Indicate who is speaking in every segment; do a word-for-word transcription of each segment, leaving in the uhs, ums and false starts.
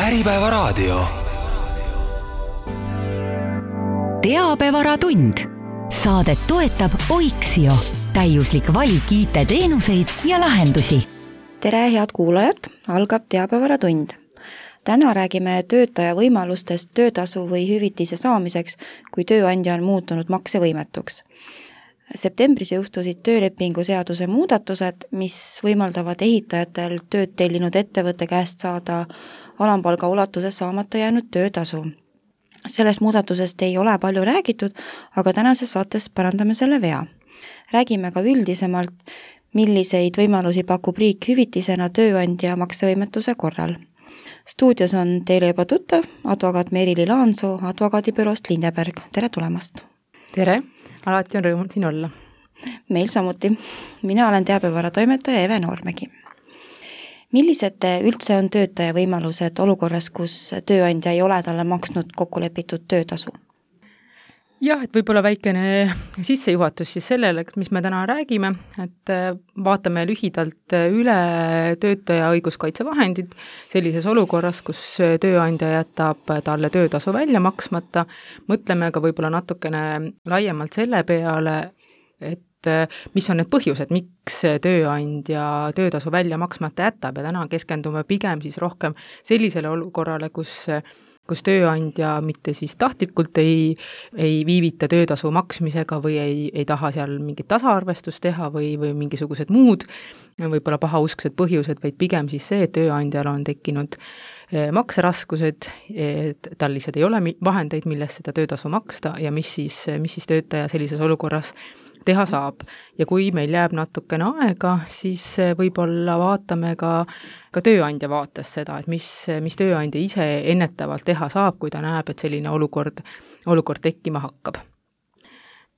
Speaker 1: Äripäevaraadio.
Speaker 2: Teabevaratund. Saadet toetab Oiksio. Täiuslik valik I T-teenuseid ja lahendusi.
Speaker 3: Tere, head kuulajad! Algab Teabevaratund. Täna räägime töötaja võimalustest töötasu või hüvitise saamiseks, kui tööandja on muutunud maksevõimetuks. Septembris jõustusid töölepingu seaduse muudatused, mis võimaldavad ehitajatel tööd tellinud ettevõtte käest saada alampalga ulatuses saamata jäänud töötasu. Sellest muudatusest ei ole palju räägitud, aga tänases saates parandame selle vea. Räägime ka üldisemalt, milliseid võimalusi pakub riik hüvitisena tööandja maksevõimetuse korral. Stuudios on teile juba tuttav advokaat Merili Laansoo advokaadibüroost Lindeberg. Tere tulemast!
Speaker 4: Tere! Alati on rõõm siin olla.
Speaker 3: Meil samuti. Mina olen teabevaratoimetaja Eve Noormägi. Millised üldse on töötaja võimalused olukorras, kus tööandja ei ole talle maksnud kokkulepitud töötasu?
Speaker 4: Jah, et võib-olla väikene sissejuhatus siis sellele, mis me täna räägime, et vaatame lühidalt üle töötaja õiguskaitsevahendid sellises olukorras, kus tööandja jätab talle töötasu välja maksmata. Mõtleme ka võib-olla natukene laiemalt selle peale, et mis on need põhjused, miks tööandja töötasu välja maksmata jätab ja täna keskendume pigem siis rohkem sellisele olukorrale, kus kus tööandja mitte siis tahtlikult ei, ei viivita töötasu maksmisega või ei, ei taha seal mingit tasaarvestust teha või, või mingisugused muud, võib-olla pahausksed põhjused, vaid pigem siis see, et tööandjal on tekkinud makseraskused, et tal lihtsalt ei ole vahendeid, millest seda töötasu maksta ja mis siis, mis siis töötaja sellises olukorras teha saab. Ja kui meil jääb natukene aega, siis võib-olla vaatame ka, ka tööandja vaates seda, et mis, mis tööandja ise ennetavalt teha saab, kui ta näeb, et selline olukord, olukord tekkima hakkab.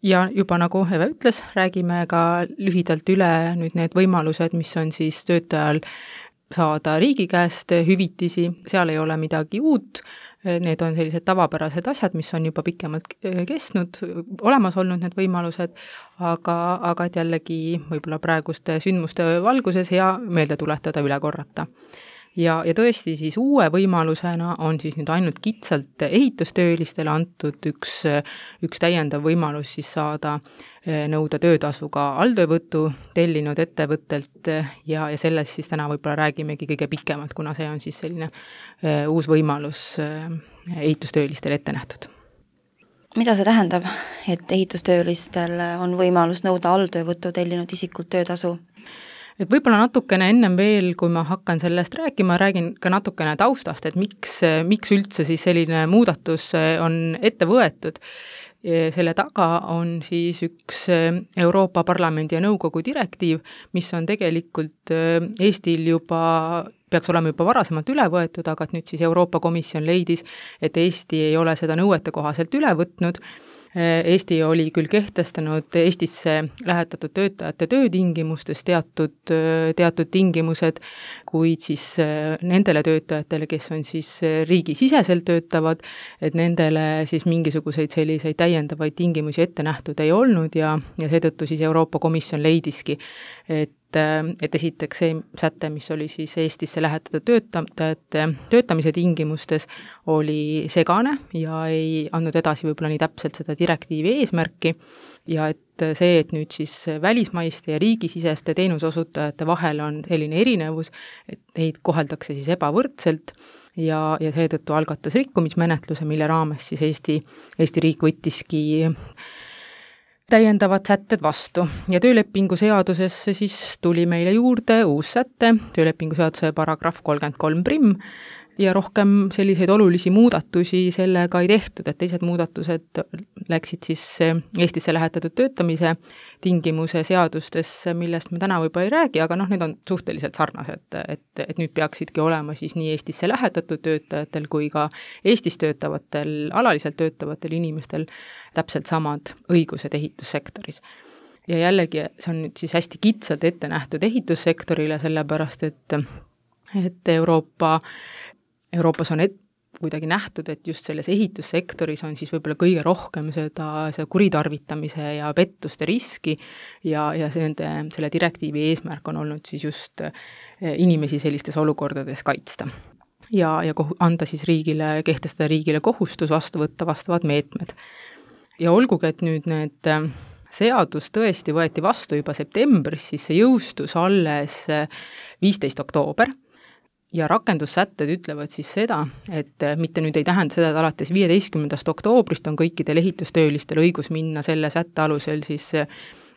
Speaker 4: Ja juba nagu Eve ütles, räägime ka lühidalt üle nüüd need võimalused, mis on siis töötajal saada riigi käest hüvitisi, seal ei ole midagi uut, need on sellised tavapärased asjad, mis on juba pikemalt kestnud, olemas olnud need võimalused, aga, aga et jällegi võib-olla praeguste sündmuste valguses hea meelde tuletada, üle korrata. Ja, ja tõesti siis uue võimalusena on siis nüüd ainult kitsalt ehitustöölistele antud üks, üks täiendav võimalus siis saada nõuda töötasuga alltöövõtu tellinud ettevõttelt ja, ja sellest siis täna võib-olla räägimegi kõige pikemalt, kuna see on siis selline uus võimalus ehitustöölistele ette nähtud.
Speaker 3: Mida see tähendab, et ehitustöölistel on võimalus nõuda alltöövõtu tellinud isikult töötasu?
Speaker 4: Et võib-olla natukene ennem veel, kui ma hakkan sellest rääkima, räägin ka natukene taustast, et miks, miks üldse siis selline muudatus on ette võetud. Selle taga on siis üks Euroopa Parlamendi ja Nõukogu direktiiv, mis on tegelikult Eestil juba, peaks olema juba varasemalt üle võetud, aga et nüüd siis Euroopa Komisjon leidis, et Eesti ei ole seda nõuete kohaselt üle võtnud. Eesti oli küll kehtestanud Eestisse lähetatud töötajate töötingimustes teatud, teatud tingimused, kuid siis nendele töötajatele, kes on siis riigisiseselt töötavad, et nendele siis mingisuguseid selliseid täiendavaid tingimusi ette nähtud ei olnud ja, ja seetõttu siis Euroopa Komisjon leidiski, et et esiteks see säte, mis oli siis Eestisse lähetatud töötajate töötamise tingimustes, oli segane ja ei andnud edasi võib-olla nii täpselt seda direktiivi eesmärki ja et see, et nüüd siis välismaiste ja riigisiseste teenusosutajate vahel on selline erinevus, et neid koheldakse siis ebavõrdselt ja, ja seetõttu algatas rikkumismenetluse, mille raames siis Eesti, Eesti riik võttiski täiendavad sätted vastu ja töölepingu seadusesse siis tuli meile juurde uus säte, töölepingu seaduse paragrahv kolmkümmend kolm prim ja rohkem selliseid olulisi muudatusi sellega ei tehtud, et teised muudatused läksid siis Eestisse lähetatud töötamise tingimuse seadustesse, millest me täna võib-olla ei räägi, aga noh, need on suhteliselt sarnased, et, et nüüd peaksidki olema siis nii Eestisse lähetatud töötajatel kui ka Eestis töötavatel, alaliselt töötavatel inimestel täpselt samad õigused ehitussektoris. Ja jällegi see on nüüd siis hästi kitsalt ette nähtud ehitussektorile, sellepärast et, et Euroopa Euroopas on et, kuidagi nähtud, et just selles ehitussektoris on siis võib-olla kõige rohkem seda, seda kuritarvitamise ja pettuste riski ja, ja nende, selle direktiivi eesmärk on olnud siis just inimesi sellistes olukordades kaitsta. ja, ja kohu, anda siis riigile, kehtestada riigile kohustus vastu võtta vastavad meetmed. Ja olgugi, et nüüd need seadus tõesti võeti vastu juba septembris, siis see jõustus alles viisteist oktoober ja rakendussätted ütlevad siis seda, et mitte nüüd ei tähenda seda, et alates viieteistkümnendast oktoobrist on kõikidel ehitustöölistel õigus minna selle sätte alusel siis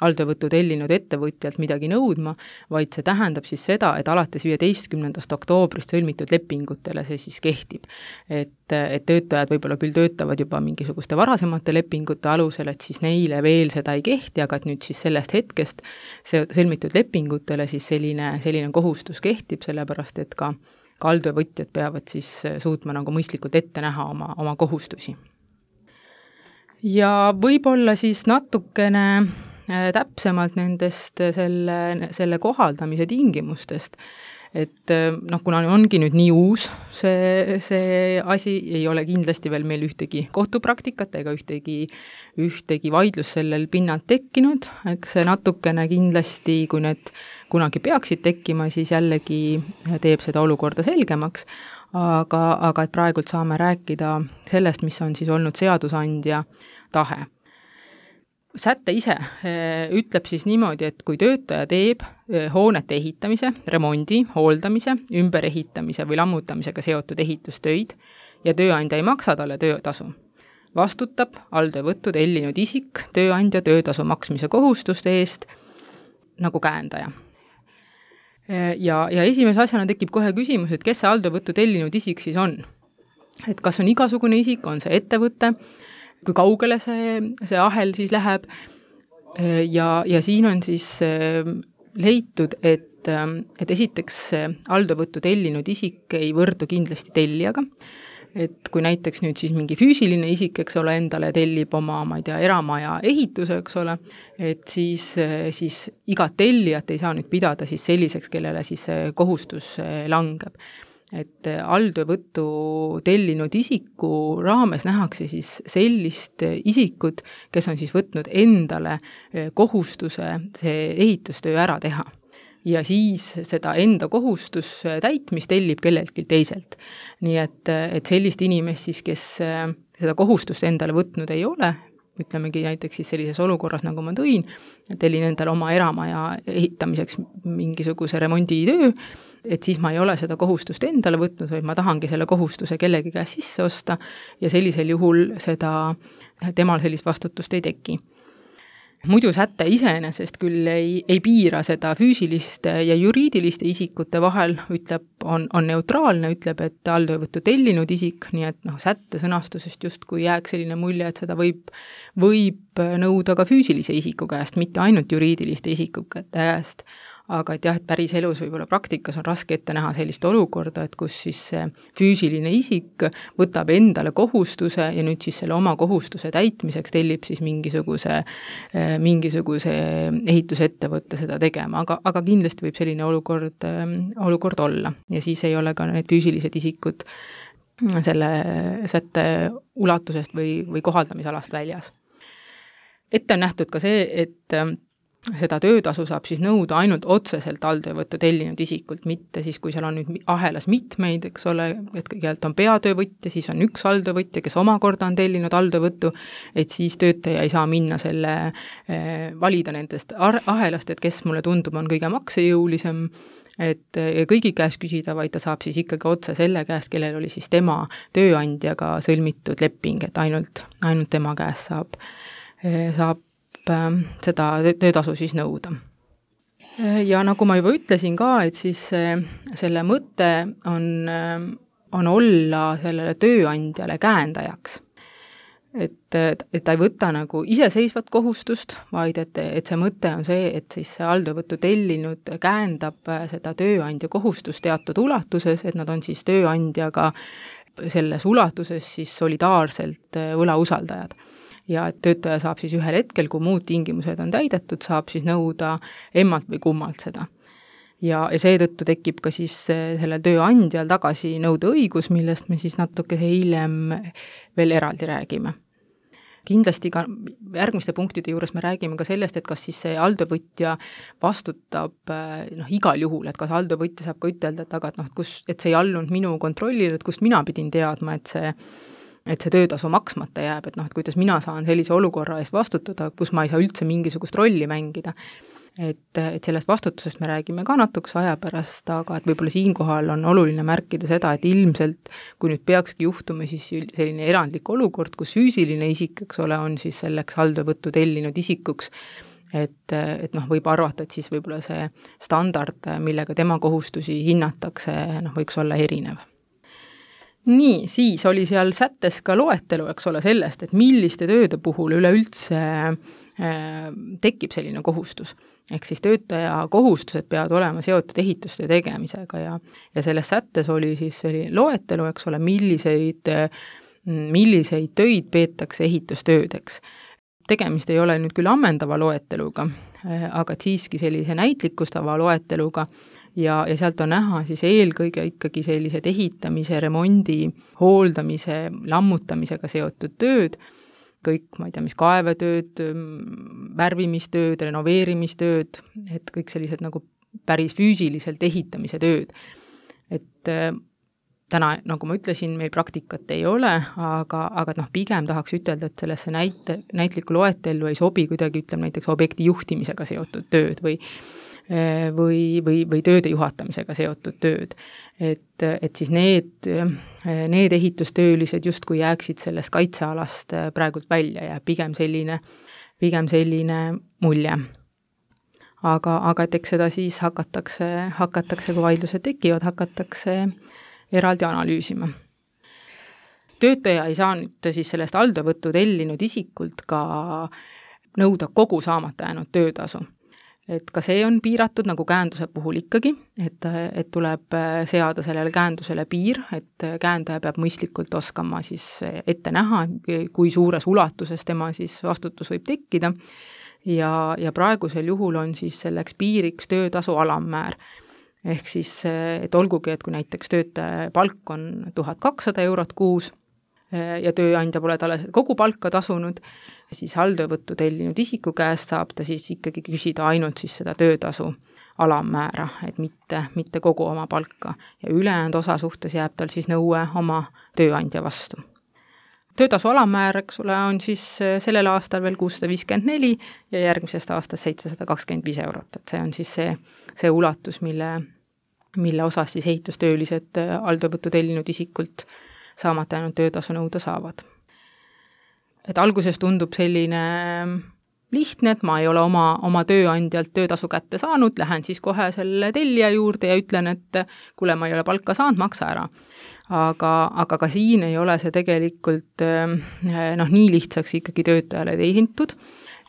Speaker 4: alltöövõttu tellinud ettevõtjalt midagi nõudma, vaid see tähendab siis seda, et alates viieteistkümnendast oktoobrist sõlmitud lepingutele see siis kehtib. Et, et töötajad võib-olla küll töötavad juba mingisuguste varasemate lepingute alusel, et siis neile veel seda ei kehti, aga et nüüd siis sellest hetkest see sõlmitud lepingutele siis selline, selline kohustus kehtib, sellepärast et ka, ka alltöövõtjad peavad siis suutma nagu mõistlikult ette näha oma, oma kohustusi. Ja võib-olla siis natukene täpsemalt nendest selle, selle kohaldamise tingimustest, et noh, kuna ongi nüüd nii uus see, see asi, ei ole kindlasti veel meil ühtegi kohtupraktikat ega ühtegi, ühtegi vaidlus sellel pinnalt tekkinud, eks see natukene kindlasti, kui need kunagi peaksid tekkima, siis jällegi teeb seda olukorda selgemaks, aga, aga et praegult saame rääkida sellest, mis on siis olnud seadusandja tahe. Sätte ise ütleb siis niimoodi, et kui töötaja teeb hoonete ehitamise, remondi, hooldamise, ümberehitamise või lammutamisega seotud ehitustöid ja tööandja ei maksa talle töötasu, vastutab alltöövõttu tellinud isik tööandja töötasu maksmise kohustuste eest nagu käendaja. Ja, ja esimese asjana tekib kohe küsimus, et kes see alltöövõttu tellinud isik siis on? Et kas on igasugune isik, on see ettevõte, kui kaugele see, see ahel siis läheb ja, ja siin on siis leitud, et, et esiteks alltöövõttu tellinud isik ei võrdu kindlasti tellijaga, et kui näiteks nüüd siis mingi füüsiline isik, eks ole, endale tellib oma, ma ei tea, eramaja ehituse, eks ole, et siis, siis igat tellijat ei saa nüüd pidada siis selliseks, kellele siis kohustus langeb. Et alltöövõttu tellinud isiku raames nähakse siis sellist isikut, kes on siis võtnud endale kohustuse see ehitustöö ära teha. Ja siis seda enda kohustus täitmist tellib kelleltki teiselt. Nii et, et sellist inimest siis, kes seda kohustust endale võtnud ei ole, ütlemegi näiteks siis sellises olukorras, nagu ma tõin, tellin endale oma eramaja ehitamiseks mingisuguse remonditöö, et siis ma ei ole seda kohustust endale võtnud, vaid ma tahangi selle kohustuse kellegi käest sisse osta ja sellisel juhul seda, temal sellist vastutust ei teki. Muidu sätte iseenesest küll ei, ei piira seda füüsiliste ja juriidiliste isikute vahel, ütleb, on, on neutraalne, ütleb, et alltöövõttu tellinud isik, nii et noh, sätte sõnastusest justkui jääks selline mulje, et seda võib, võib nõuda ka füüsilise isiku käest, mitte ainult juriidiliste isikute käest. Aga et jah, et päris elus võib-olla praktikas on raske ette näha sellist olukorda, et kus siis see füüsiline isik võtab endale kohustuse ja nüüd siis selle oma kohustuse täitmiseks tellib siis mingisuguse, mingisuguse ehitusettevõtte seda tegema, aga, aga kindlasti võib selline olukord, olukord olla ja siis ei ole ka need füüsilised isikud selle sätte ulatusest või, või kohaldamisalast väljas. Ette on nähtud ka see, et seda töötasu saab siis nõuda ainult otseselt alltöövõttu tellinud isikult, mitte siis, kui seal on nüüd ahelas mitmeid, eks ole, et kõigepealt on peatöövõtja, siis on üks alltöövõtja, kes omakorda on tellinud alltöövõttu, et siis töötaja ei saa minna selle, valida nendest ahelast, et kes mulle tundub on kõige maksejõulisem, et kõigi käest küsida, vaid ta saab siis ikkagi otse selle käest, kellel oli siis tema tööandjaga sõlmitud leping, et ainult, ainult tema käest saab, saab seda töötasu siis nõuda. Ja nagu ma juba ütlesin ka, et siis selle mõte on, on olla sellele tööandjale käendajaks. Et, et ta ei võta nagu iseseisvat kohustust, vaid et, et see mõte on see, et siis see alltöövõttu tellinud käendab seda tööandja kohustust teatud ulatuses, et nad on siis tööandjaga selles ulatuses siis solidaarselt võlausaldajad. Ja töötaja saab siis ühel hetkel, kui muud tingimused on täidetud, saab siis nõuda emmalt või kummalt seda. Ja, ja seetõttu tekib ka siis sellel tööandjal tagasi nõude õigus, millest me siis natuke hiljem veel eraldi räägime. kindlasti ka järgmiste punktide juures me räägime ka sellest, et kas siis see alltöövõtja vastutab noh, igal juhul, et kas alltöövõtja saab ka ütelda, et aga et noh, kus, et see ei allunud minu kontrollile, et kust mina pidin teadma, et see et see töötasu maksmata jääb, et noh, et kuidas mina saan sellise olukorra eest vastutada, kus ma ei saa üldse mingisugust rolli mängida. Et, et sellest vastutusest me räägime ka natukese aja pärast, aga et võib-olla siinkohal on oluline märkida seda, et ilmselt, kui nüüd peakski juhtuma siis selline erandlik olukord, kus füüsiline isik, eks ole, on siis selleks alltöövõttu tellinud isikuks, et, et noh, võib arvata, et siis võib-olla see standard, millega tema kohustusi hinnatakse, noh, võiks olla erinev. Nii, siis oli seal sättes ka loetelu, eks ole, sellest, et milliste tööde puhul üleüldse äh, tekib selline kohustus. Ehk siis töötaja kohustused peavad olema seotud ehitustöö tegemisega ja, ja selles sättes oli siis selline loetelu, eks ole, milliseid, milliseid töid peetakse ehitustöödeks. Tegemist ei ole nüüd küll ammendava loeteluga, aga siiski sellise näitlikustava loeteluga, ja, ja sealt on näha siis eelkõige ikkagi sellised ehitamise, remondi, hooldamise, lammutamisega seotud tööd, kõik, ma ei tea, mis kaevetööd, värvimistööd, renoveerimistööd, et kõik sellised nagu päris füüsiliselt ehitamise tööd. Et täna, nagu ma ütlesin, meil praktikat ei ole, aga, aga noh, pigem tahaks ütelda, et sellesse näite, näitliku loetellu ei sobi kuidagi, ütleme näiteks objekti juhtimisega seotud tööd või või, või, või tööde juhatamisega seotud tööd. Et, et siis need, need ehitustöölised justkui jääksid sellest kaitsealast praegult välja ja pigem selline, pigem selline mulje. Aga, aga et eks seda siis hakatakse, hakatakse, kui vaidlused tekivad, hakatakse eraldi analüüsima. Töötaja ei saa nüüd siis sellest alltöövõttu tellinud isikult ka nõuda kogu saamata jäänud töötasu. Et ka see on piiratud nagu käenduse puhul ikkagi, et, et tuleb seada sellele käendusele piir, et käendaja peab mõistlikult oskama siis ette näha, kui suures ulatuses tema siis vastutus võib tekkida ja, ja praegusel juhul on siis selleks piiriks töötasu alammäär. Ehk siis, et olgugi, et kui näiteks töötaja palk on tuhat kakssada eurot kuus ja tööandja pole talle kogu palka tasunud, siis alltöövõttu tellinud isiku käest saab ta siis ikkagi küsida ainult siis seda töötasu alammäära, et mitte, mitte kogu oma palka. Ja ülejäänud osa suhtes jääb tal siis nõue oma tööandja vastu. Töötasu alammäär, eks ole, on siis sellel aastal veel kuussada viiskümmend neli ja järgmisest aastast seitsesada kakskümmend viis eurot. Et see on siis see, see ulatus, mille, mille osas siis ehitustöölised alltöövõttu tellinud isikult saamata jäänud töötasu nõuda saavad. Et alguses tundub selline lihtne, et ma ei ole oma, oma tööandjalt töötasu kätte saanud, lähen siis kohe selle tellija juurde ja ütlen, et kuule, ma ei ole palka saanud, maksa ära. Aga, aga ka siin ei ole see tegelikult noh, nii lihtsaks ikkagi töötajale tehintud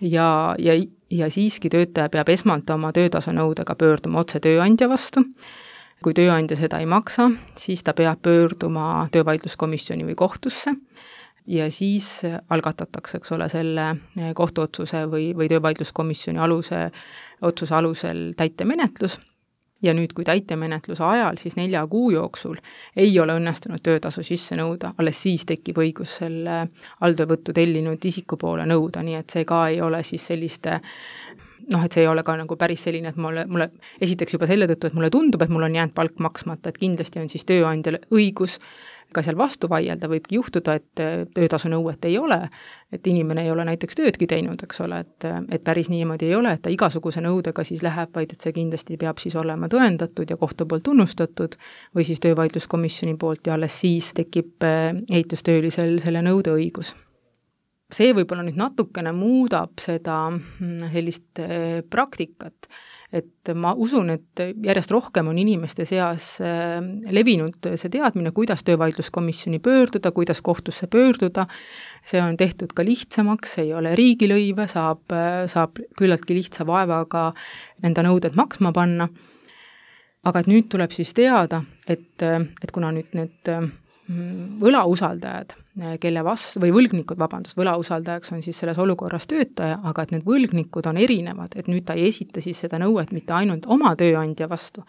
Speaker 4: ja, ja, ja siiski töötaja peab esmalt oma töötasu nõudega pöörduma otse tööandja vastu. Kui tööandja seda ei maksa, siis ta peab pöörduma töövaidluskomisjoni või kohtusse ja siis algatatakse, eks ole, selle kohtuotsuse või, või töövaidluskomisjoni aluse, otsuse alusel täitemenetlus. Ja nüüd, kui täitemenetluse ajal, siis nelja kuu jooksul ei ole õnnestunud töötasu sisse nõuda, alles siis tekib õigus selle alltöövõttu tellinud isiku poole nõuda, nii et see ka ei ole siis selliste noh, et see ei ole ka nagu päris selline, et mulle, mulle esiteks juba selle tõttu, et mulle tundub, et mul on jäänud palk maksmata, et kindlasti on siis tööandjal õigus ka seal vastu vaielda, võibki juhtuda, et töötasu nõuet ei ole, et inimene ei ole näiteks töödki teinud, eks ole, et, et päris niimoodi ei ole, et ta igasuguse nõudega siis läheb, vaid et see kindlasti peab siis olema tõendatud ja kohtu poolt tunnustatud või siis töövaidluskomisjoni poolt ja alles siis tekib ehitustöölisel selle nõude õigus. See võib-olla nüüd natukene muudab seda sellist praktikat, et ma usun, et järjest rohkem on inimeste seas levinud see teadmine, kuidas töövaidluskomisjoni pöörduda, kuidas kohtusse pöörduda, see on tehtud ka lihtsamaks, ei ole riigilõive, saab, saab küllaltki lihtsa vaevaga enda nõuded maksma panna, aga et nüüd tuleb siis teada, et, et kuna nüüd need võlausaldajad, kelle vastu, või võlgnikud, vabandust, võlausaldajaks on siis selles olukorras töötaja, aga et need võlgnikud on erinevad, et nüüd ta ei esita siis seda nõuet mitte ainult oma tööandja vastu,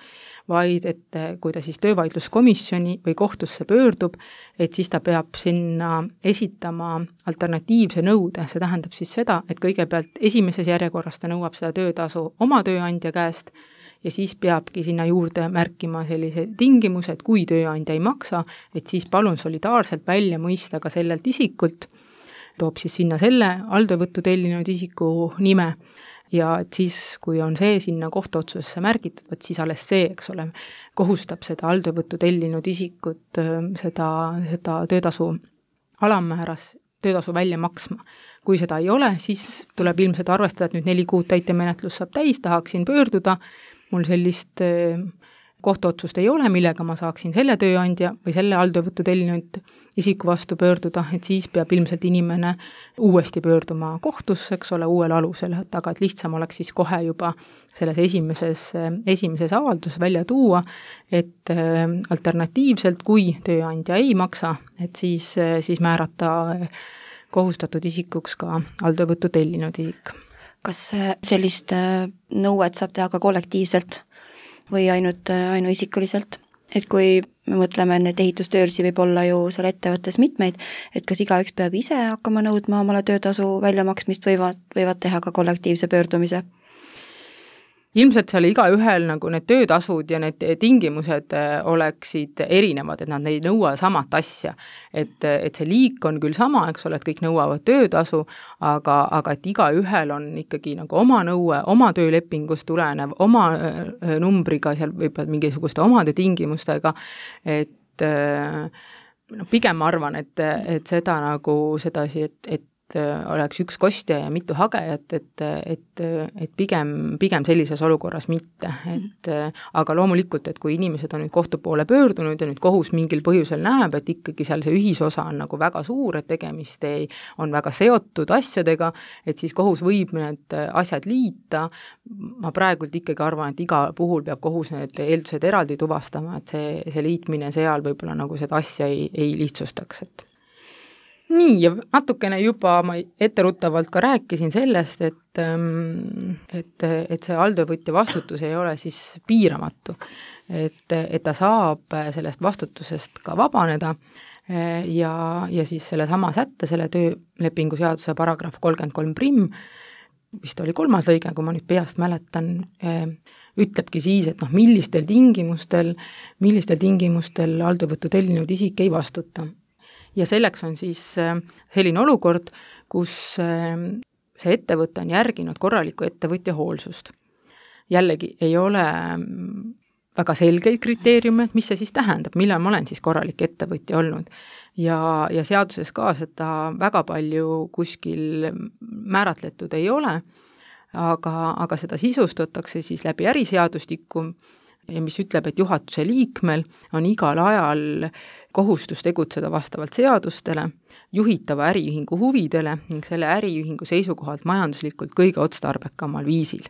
Speaker 4: vaid et kui ta siis töövaidluskomisjoni või kohtusse pöördub, et siis ta peab sinna esitama alternatiivse nõude, see tähendab siis seda, et kõigepealt esimeses järjekorras ta nõuab seda töötasu oma tööandja käest, ja siis peabki sinna juurde märkima sellise tingimuse, et kui tööandja ei maksa, et siis palun solidaarselt välja mõista ka sellelt isikult, toob siis sinna selle alltöövõttu tellinud isiku nime ja et siis, kui on see sinna kohtuotsusesse märgitud, et siis alles see, eks ole, kohustab seda alltöövõttu tellinud isikut seda, seda töötasu alammääras töötasu välja maksma. Kui seda ei ole, siis tuleb ilmselt arvestada, et nüüd neli kuud täitemenetlus saab täis, tahaksin pöörduda, mul sellist kohtuotsust ei ole, millega ma saaksin selle tööandja või selle alltöövõttu tellinud isiku vastu pöörduda, et siis peab ilmselt inimene uuesti pöörduma kohtusse, eks ole, uuel alusel, et aga et lihtsam oleks siis kohe juba selles esimeses, esimeses avaldus välja tuua, et alternatiivselt, kui tööandja ei maksa, et siis, siis määrata kohustatud isikuks ka alltöövõttu tellinud isik.
Speaker 3: Kas sellist nõuet saab teha ka kollektiivselt või ainult ainuisikuliselt? Et kui me mõtleme, et ehitustöölisi võib olla ju seal ettevõttes mitmeid, et kas igaüks peab ise hakkama nõudma omale töötasu väljamaksmist või võivad, võivad teha ka kollektiivse pöördumise?
Speaker 4: Ilmselt seal igaühel nagu need töötasud ja need tingimused oleksid erinevad, et nad ei nõua samat asja. Et, et see liik on küll sama, eks ole, et kõik nõuavad töötasu, aga, aga et igaühel on ikkagi nagu oma nõue, oma töölepingust tulenev, oma numbriga, seal võib-olla mingisuguste omade tingimustega, et no, pigem ma arvan, et, et seda nagu sedasi, et, et oleks üks kostja ja mitu hagejat, et, et, et pigem, pigem sellises olukorras mitte. Et, aga loomulikult, et kui inimesed on nüüd kohtu poole pöördunud ja nüüd kohus mingil põhjusel näeb, et ikkagi seal see ühisosa on nagu väga suur, et tegemist ei, on väga seotud asjadega, et siis kohus võib need asjad liita. Ma praegult ikkagi arvan, et iga puhul peab kohus need eeldused eraldi tuvastama, et see, see liitmine seal võib-olla nagu seda asja ei, ei lihtsustaks, et nii, ja natukene juba ma etteruttavalt ka rääkisin sellest, et, et, et see alltöövõtja vastutus ei ole siis piiramatu. Et, et ta saab sellest vastutusest ka vabaneda ja, ja siis selle sama sätte, selle töölepingu seaduse paragrahv kolmkümmend kolm prim, vist oli kolmas lõige, kui ma nüüd peast mäletan, ütlebki siis, et noh, millistel tingimustel, millistel tingimustel alltöövõttu tellinud isik ei vastuta. Ja selleks on siis selline olukord, kus see ettevõte on järginud korralikku ettevõtja hoolsust. Jällegi ei ole väga selgeid kriteeriume, et mis see siis tähendab, millal ma olen siis korralik ettevõtja olnud. Ja, ja seaduses ka seda väga palju kuskil määratletud ei ole, aga, aga seda sisustatakse siis läbi äriseadustiku, ja mis ütleb, et juhatuse liikmel on igal ajal kohustus tegutseda vastavalt seadustele, juhitava äriühingu huvidele ning selle äriühingu seisukohalt majanduslikult kõige otstarbekamal viisil.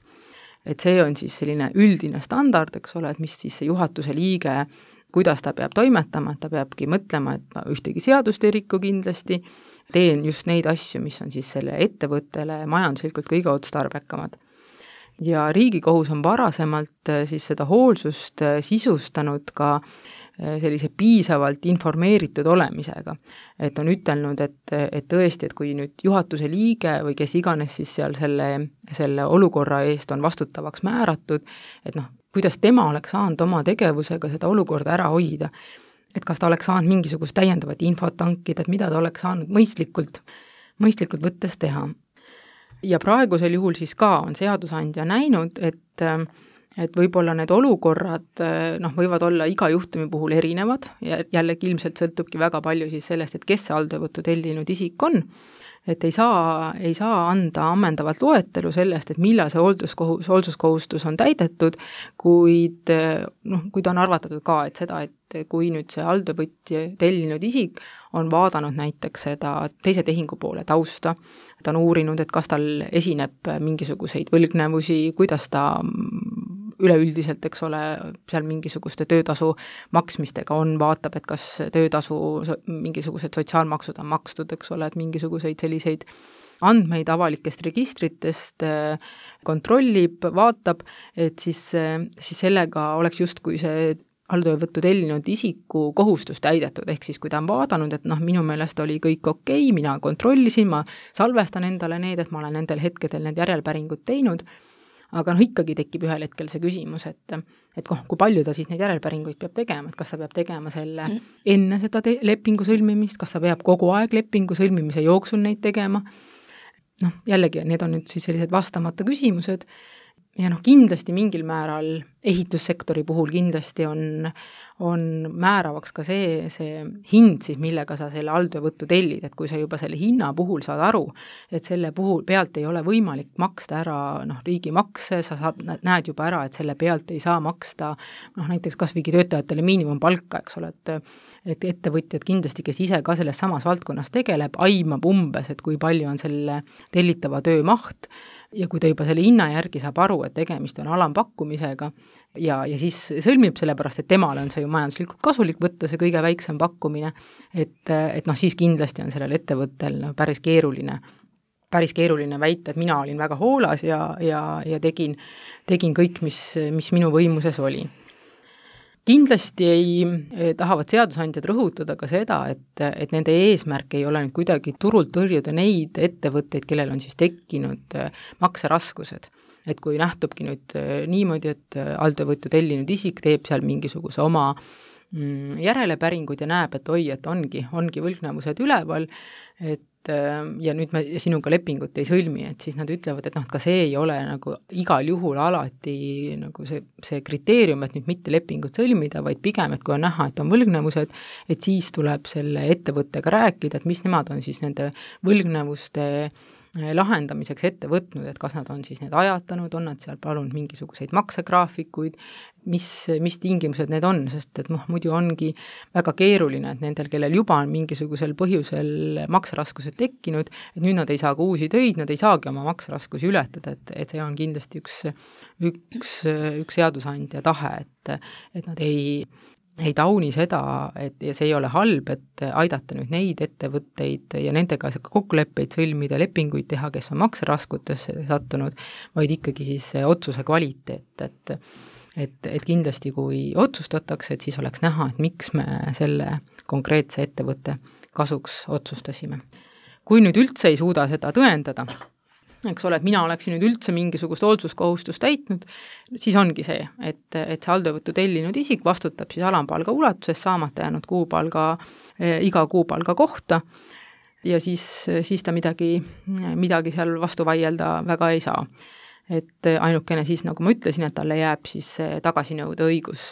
Speaker 4: Et see on siis selline üldine standard, eks ole, et mis siis see juhatuse liige, kuidas ta peab toimetama, et ta peabki mõtlema, et ma ühtegi seadust ei rikku kindlasti, teen just neid asju, mis on siis selle ettevõttele majanduslikult kõige otstarbekamad. Ja Riigikohus on varasemalt siis seda hoolsust sisustanud ka sellise piisavalt informeeritud olemisega. Et on ütelnud, et, et tõesti, et kui nüüd juhatuse liige või kes iganes siis seal selle, selle olukorra eest on vastutavaks määratud, et noh, kuidas tema oleks saanud oma tegevusega seda olukorda ära hoida. Et kas ta oleks saanud mingisugust täiendavat infot tankida, et mida ta oleks saanud mõistlikult, mõistlikult võttes teha. Ja praegusel juhul siis ka on seadusandja näinud, et, et võib-olla need olukorrad noh, võivad olla iga juhtumi puhul erinevad ja jällegi ilmselt sõltubki väga palju siis sellest, et kes see alltöövõttu tellinud isik on, et ei saa, ei saa anda ammendavat loetelu sellest, et millal see hoolduskohus, hoolsuskohustus on täidetud, kuid noh, kuid on arvatatud ka, et seda, et kui nüüd see alltöövõtja tellinud isik on vaadanud näiteks seda teise tehingu poole tausta, ta on uurinud, et kas tal esineb mingisuguseid võlgnevusi, kuidas ta üleüldiselt, eks ole, seal mingisuguste töötasu maksmistega on, vaatab, et kas töötasu mingisugused sotsiaalmaksud on makstud, eks ole, et mingisuguseid selliseid andmeid avalikest registritest kontrollib, vaatab, et siis, siis sellega oleks justkui see alltöövõttu tellinud isiku kohustus täidetud, ehk siis kui ta on vaadanud, et noh, minu meelest oli kõik okei, mina kontrollisin, ma salvestan endale need, et ma olen nendel hetkedel need järelpäringud teinud, aga noh, ikkagi tekib ühel hetkel see küsimus, et, et kui palju ta siis neid järelpäringuid peab tegema, et kas ta peab tegema selle enne seda te- lepingu sõlmimist, kas ta peab kogu aeg lepingu sõlmimise jooksul neid tegema. Noh, jällegi, need on nüüd siis sellised vastamata küsimused ja noh, kindlasti mingil määral ehitussektori puhul kindlasti on, on määravaks ka see, see hind siis, millega sa selle alltöövõttu tellid, et kui sa juba selle hinna puhul saad aru, et selle puhul pealt ei ole võimalik maksta ära noh, riigimakse, sa saad, näed juba ära, et selle pealt ei saa maksta noh, näiteks kasvõi töötajatele miinimumpalka, eks ole, et et ettevõtjad kindlasti, kes ise ka selles samas valdkonnas tegeleb, aimab umbes, et kui palju on selle tellitava töö maht ja kui ta juba selle hinna järgi saab aru, et tegemist on alampakkumisega ja, ja siis sõlmib sellepärast, et temale on see ju majanduslikult kasulik võtta see kõige väiksem pakkumine, et, et noh, siis kindlasti on sellel ettevõttel no, päris keeruline päris keeruline väita, et mina olin väga hoolas ja, ja, ja tegin, tegin kõik, mis, mis minu võimuses oli. Kindlasti ei tahavad seadusandjad rõhutada ka seda, et, et nende eesmärk ei ole nüüd kuidagi turult tõrjuda neid ettevõtteid, kellel on siis tekkinud makseraskused. Et kui nähtubki nüüd niimoodi, et alltöövõttu tellinud isik teeb seal mingisuguse oma järelepäringud ja näeb, et oi, et ongi, ongi võlgnevused üleval, et ja nüüd me sinuga lepingut ei sõlmi, et siis nad ütlevad, et noh, ka see ei ole nagu igal juhul alati nagu see, see kriteerium, et nüüd mitte lepingut sõlmida, vaid pigem, et kui on näha, et on võlgnevused, et siis tuleb selle ettevõttega rääkida, et mis nemad on siis nende võlgnevuste lahendamiseks ette võtnud, et kas nad on siis need ajatanud, on nad seal palunud mingisuguseid maksegraafikuid, mis, mis tingimused need on, sest et noh, muidu ongi väga keeruline, et nendel, kellel juba on mingisugusel põhjusel makseraskused tekkinud, et nüüd nad ei saa ka uusi töid, nad ei saagi oma makseraskusi ületada, et, et see on kindlasti üks, üks, üks seadusandja tahe, et, et nad ei ei tauni seda, et ja see ei ole halb, et aidata nüüd neid ettevõtteid ja nendega kokkuleppeid sõlmida, lepinguid teha, kes on makseraskutesse sattunud, vaid ikkagi siis otsuse kvaliteet, et, et, et kindlasti kui otsustatakse, et siis oleks näha, et miks me selle konkreetse ettevõtte kasuks otsustasime. Kui nüüd üldse ei suuda seda tõendada, eks ole, et mina oleksin nüüd üldse mingisugust hoolsuskohustust täitnud, siis ongi see, et, et see alltöövõttu tellinud isik vastutab siis alampalga ulatuses saamata jäänud kuupalga, iga kuupalga kohta ja siis, siis ta midagi, midagi seal vastu vaielda väga ei saa. Et ainukene siis, nagu ma ütlesin, et talle jääb siis tagasinõude õigus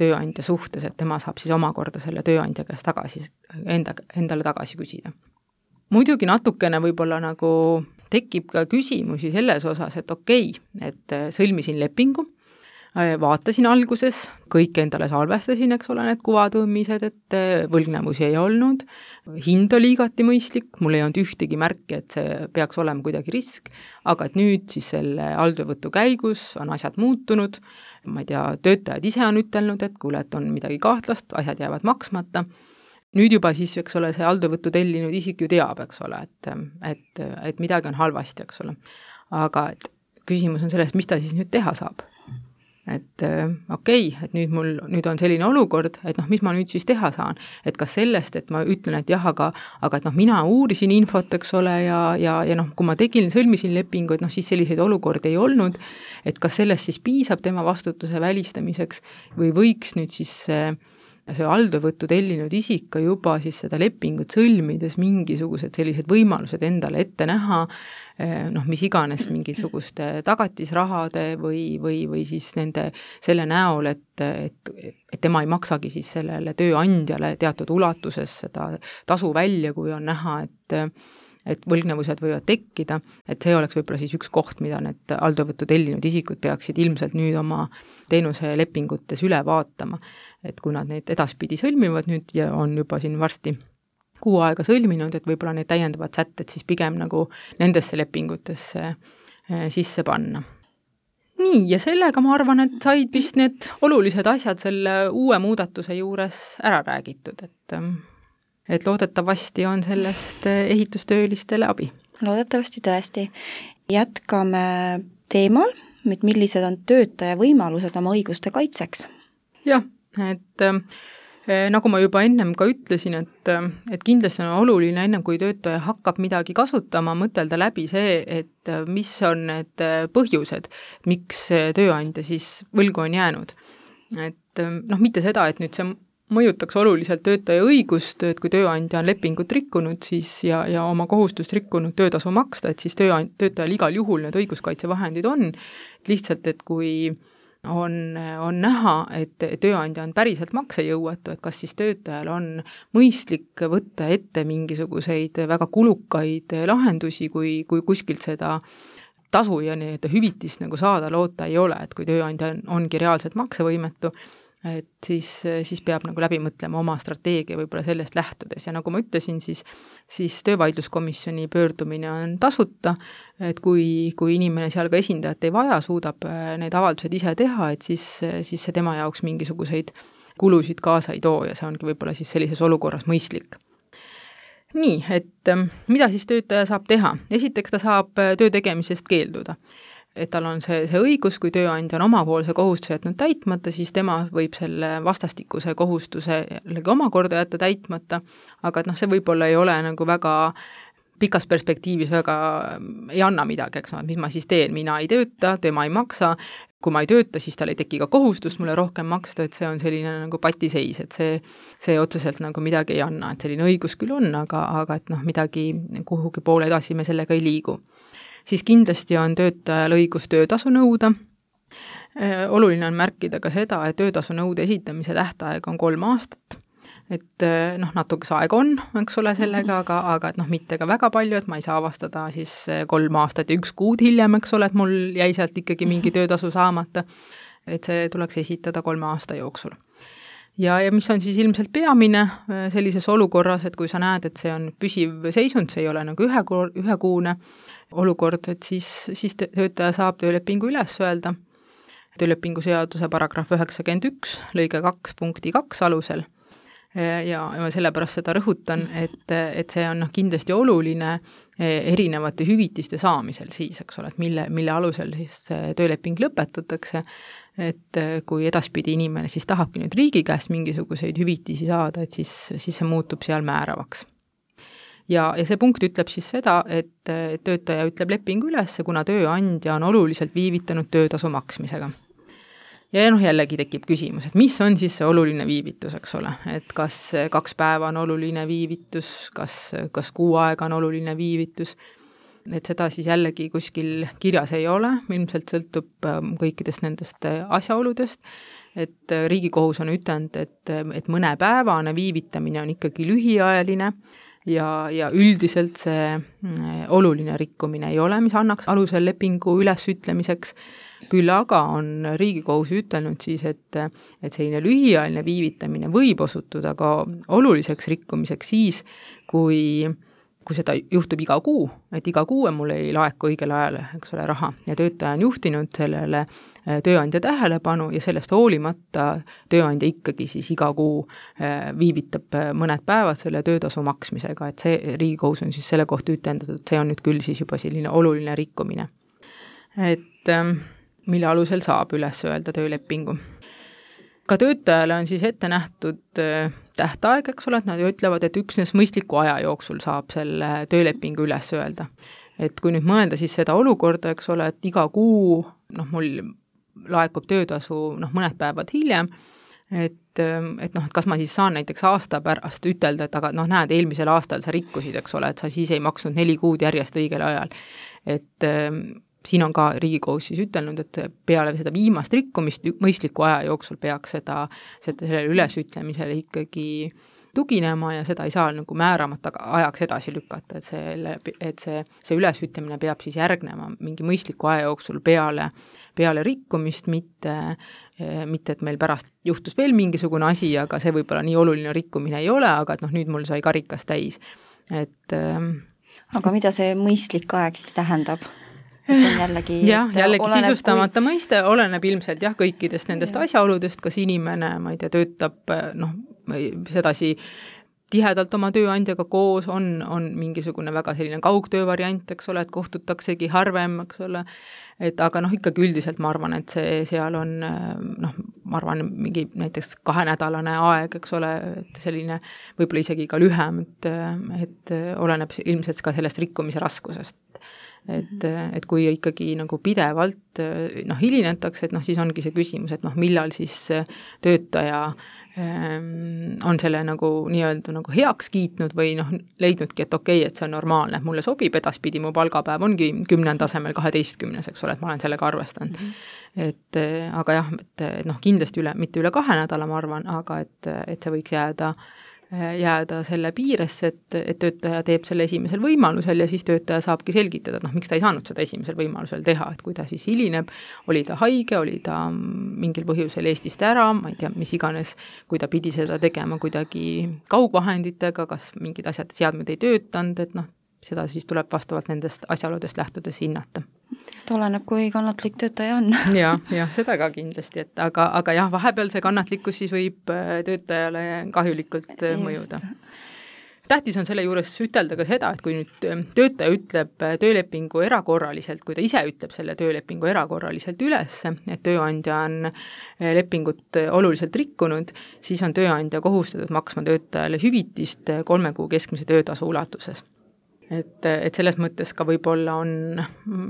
Speaker 4: tööandja suhtes, et tema saab siis omakorda selle tööandja käest tagasi, enda, endale tagasi küsida. Muidugi natukene võib-olla nagu tekib ka küsimusi selles osas, et okei, et sõlmisin lepingu, vaatasin alguses, kõik endale salvestasin, eks ole, need kuvatõmmised, et võlgnevusi ei olnud, hind oli igati mõistlik, mul ei olnud ühtegi märki, et see peaks olema kuidagi risk, aga et nüüd siis selle alltöövõtu käigus on asjad muutunud, ma ei tea, töötajad ise on ütelnud, et kuule, et on midagi kahtlast, asjad jäävad maksmata. Nüüd juba siis, eks ole, see alltöövõttu tellinud isik ju teab, eks ole, et, et, et midagi on halvasti, eks ole. Aga et küsimus on sellest, mis ta siis nüüd teha saab. Et okei, okay, et nüüd mul nüüd on selline olukord, et noh, mis ma nüüd siis teha saan. Et kas sellest, et ma ütlen, et jah, aga, aga et noh, mina uurisin infot, eks ole, ja, ja, ja noh, kui ma tegin, sõlmisin lepingu, et noh, siis selliseid olukordi ei olnud, et kas sellest siis piisab tema vastutuse välistamiseks või võiks nüüd siis see alltöövõttu tellinud isik ka juba siis seda lepingut sõlmides mingisugused sellised võimalused endale ette näha, noh, mis iganes mingisuguste tagatisrahade või, või, või siis nende selle näol, et, et, et tema ei maksagi siis sellele tööandjale teatud ulatuses seda tasu välja, kui on näha, et et võlgnevused võivad tekkida, et see oleks võib-olla siis üks koht, mida need alltöövõttu tellinud isikud peaksid ilmselt nüüd oma teenuselepingutes üle vaatama, et kui nad neid edaspidi sõlmivad nüüd ja on juba siin varsti kuu aega sõlminud, et võib-olla need täiendavad sätted siis pigem nagu nendesse lepingutesse sisse panna. nii, ja sellega ma arvan, et said vist need olulised asjad selle uue muudatuse juures ära räägitud, et, et loodetavasti on sellest ehitustöölistele abi.
Speaker 3: Loodetavasti tõesti. Jätkame teemal, et millised on töötaja võimalused oma õiguste kaitseks.
Speaker 4: Jah, et nagu ma juba ennem ka ütlesin, et, et kindlasti on oluline ennem, kui töötaja hakkab midagi kasutama, mõtelda läbi see, et mis on need põhjused, miks tööandja siis võlgu on jäänud. Et noh, mitte seda, et nüüd see mõjutaks oluliselt töötaja õigust, et kui tööandja on lepingut rikkunud siis ja, ja oma kohustust rikkunud töötasu maksta, et siis tööand, töötajal igal juhul need õiguskaitsevahendid on, et lihtsalt, et kui on, on näha, et tööandja on päriselt maksejõuetu, et kas siis töötajal on mõistlik võtta ette mingisuguseid väga kulukaid lahendusi, kui, kui kuskilt seda tasu ja nii-öelda hüvitist nagu saada loota ei ole, et kui tööandja on, ongi reaalselt maksevõimetu, et siis, siis peab nagu läbi mõtlema oma strateegia võib-olla sellest lähtudes ja nagu ma ütlesin, siis, siis töövaidluskomisjoni pöördumine on tasuta, et kui, kui inimene seal ka esindajat ei vaja, suudab need avaldused ise teha, et siis, siis see tema jaoks mingisuguseid kulusid kaasa ei too ja see ongi võib-olla siis sellises olukorras mõistlik. Nii, et mida siis töötaja saab teha? Esiteks ta saab töö tegemisest keelduda. Et tal on see, see õigus, kui tööandja on omapoolse kohustuse jätnud täitmata, siis tema võib selle vastastikuse kohustuse jällegi omakorda jätta täitmata, aga et noh, see võib-olla ei ole nagu väga pikas perspektiivis väga ei anna midagi, eks no, mis ma siis teen, mina ei tööta, tema ei maksa, kui ma ei tööta, siis tal ei teki ka kohustust mulle rohkem maksta, et see on selline nagu patiseis, et see, see otseselt nagu midagi ei anna, et selline õigus küll on, aga, aga et noh, midagi kuhugi poole edasi me sellega ei liigu. Siis kindlasti on töötajal õigus töötasu nõuda. Oluline on märkida ka seda, et töötasu nõude esitamise tähtaeg on kolm aastat, et noh, natukese aeg on, eks ole, sellega, aga, aga et noh, mitte ka väga palju, et ma ei saa avastada siis kolm aastat ja üks kuud hiljem, eks ole, et mul jäi sealt ikkagi mingi töötasu saamata, et see tuleks esitada kolme aasta jooksul. Ja, ja mis on siis ilmselt peamine sellises olukorras, et kui sa näed, et see on püsiv seisund, see ei ole nagu ühe, ühekuune olukord, et siis, siis töötaja saab töölepingu üles öelda. Töölepingu seaduse paragrahv üheksakümmend üks, lõige kaks punkti kaks alusel. Ja, ja sellepärast seda rõhutan, et, et see on kindlasti oluline erinevate hüvitiste saamisel siis, eks ole, et mille, mille alusel siis tööleping lõpetatakse, et kui edaspidi inimene siis tahabki nüüd riigi käest mingisuguseid hüvitisi saada, et siis, siis see muutub seal määravaks. Ja, ja see punkt ütleb siis seda, et töötaja ütleb lepingu üles, kuna tööandja on oluliselt viivitanud töötasu maksmisega. Ja noh, jällegi tekib küsimus, et mis on siis see oluline viivitus, eks ole, et kas kaks päeva on oluline viivitus, kas, kas kuu aega on oluline viivitus, et seda siis jällegi kuskil kirjas ei ole, ilmselt sõltub kõikidest nendest asjaoludest, et Riigikohus on ütelnud, et, et mõnepäevane viivitamine on ikkagi lühiajaline ja, ja üldiselt see oluline rikkumine ei ole, mis annaks alusel lepingu ülesütlemiseks, küll aga on Riigikohus ütelnud siis, et, et selline lühiajaline viivitamine võib osutuda ka oluliseks rikkumiseks siis, kui kui seda juhtub iga kuu, et iga kuu mul ei laeku õigel ajal, eks ole, raha ja töötaja on juhtinud sellele tööandja tähelepanu ja sellest hoolimata tööandja ikkagi siis iga kuu viivitab mõned päevad selle töötasu maksmisega, et see Riigikohus on siis selle kohta ütelnud, et see on nüüd küll siis juba selline oluline rikkumine. Et mille alusel saab üles öelda töölepingu. Ka töötajale on siis ette nähtud tähtaeg, eks ole, et nad ütlevad, et üksnes mõistliku aja jooksul saab selle töölepingu üles öelda. Et kui nüüd mõelda siis seda olukorda, eks ole, et iga kuu, noh, mul laekub töötasu, noh, mõned päevad hiljem, et, et noh, et kas ma siis saan näiteks aasta pärast ütelda, et aga noh, näed, eelmisel aastal sa rikkusid, eks ole, et sa siis ei maksnud neli kuud järjest õigel ajal. Et siin on ka Riigikohus siis ütelnud, et peale seda viimast rikkumist mõistliku aja jooksul peaks seda, seda sellele ülesütlemisele ikkagi tuginema ja seda ei saa nagu määramata ajaks edasi lükata, et, selle, et see, see ülesütlemine peab siis järgnema mingi mõistliku aja jooksul peale, peale rikkumist, mitte, mitte et meil pärast juhtus veel mingisugune asi, aga see võib-olla nii oluline rikkumine ei ole, aga et noh, nüüd mul sai karikas täis. Et,
Speaker 3: aga mida see mõistlik aeg siis tähendab? see on jällegi
Speaker 4: jah, jällegi sisustamata kui... mõiste, oleneb ilmselt jah, kõikidest nendest ja. asjaoludest, kas inimene, ma ei tea, töötab noh, sedasi tihedalt oma tööandjaga koos, on, on mingisugune väga selline kaugtöö variant, eks ole, et kohtutaksegi harvem, eks ole, et aga noh, ikkagi üldiselt ma arvan, et see seal on noh, ma arvan, mingi näiteks kahenädalane aeg, eks ole, et selline võib-olla isegi ka lühem, et, et oleneb ilmselt ka sellest rikkumise raskusest. Et, et kui ikkagi nagu pidevalt noh, hilinetakse, et noh, siis ongi see küsimus, et noh, millal siis töötaja on selle nagu nii-öelda nagu heaks kiitnud või noh, leidnudki, et okei, et see on normaalne, et mulle sobib, edaspidi mu palgapäev ongi kümnenda tasemel kaheteistkümnes, eks ole, et ma olen sellega arvestanud. Mm -hmm. Et aga jah, et noh, kindlasti üle, mitte üle kahe nädala, ma arvan, aga et, et see võiks jääda jääda selle piiresse, et, et töötaja teeb selle esimesel võimalusel ja siis töötaja saabki selgitada, et noh, miks ta ei saanud seda esimesel võimalusel teha, et kui ta siis hilineb, oli ta haige, oli ta mingil põhjusel Eestist ära, ma ei tea, mis iganes, kui ta pidi seda tegema kuidagi kaugvahenditega, kas mingid asjad, seadmed ei töötanud, et noh, seda siis tuleb vastavalt nendest asjaoludest lähtudes hinnata.
Speaker 3: Et oleneb, kui kannatlik töötaja on.
Speaker 4: ja, ja seda ka kindlasti, et aga, aga jah, vahepeal see kannatlikkus siis võib töötajale kahjulikult mõjuda. Tähtis on selle juures ütelda ka seda, et kui nüüd töötaja ütleb töölepingu erakorraliselt, kui ta ise ütleb selle töölepingu erakorraliselt üles, et tööandja on lepingut oluliselt rikkunud, siis on tööandja kohustatud maksma töötajale hüvitist kolme kuu keskmise töötasu ulatuses. Et, et selles mõttes ka võib-olla on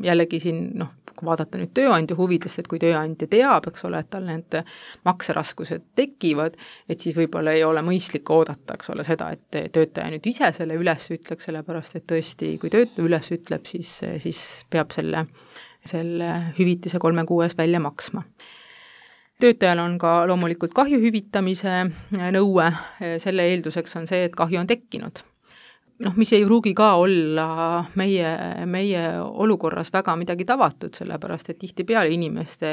Speaker 4: jällegi siin, noh, kui vaadata nüüd tööandja huvidest, et kui tööandja teab, eks ole, et tal need makseraskused tekivad, et siis võib-olla ei ole mõistlik oodata, eks ole, seda, et töötaja nüüd ise selle üles ütleks, sellepärast et tõesti, kui töötaja üles ütleb, siis, siis peab selle, selle hüvitise kolme kuu eest välja maksma. Töötajal on ka loomulikult kahju hüvitamise nõue, selle eelduseks on see, et kahju on tekkinud. Noh, mis ei pruugi ka olla meie, meie olukorras väga midagi tavatut, sellepärast et tihtipeale inimeste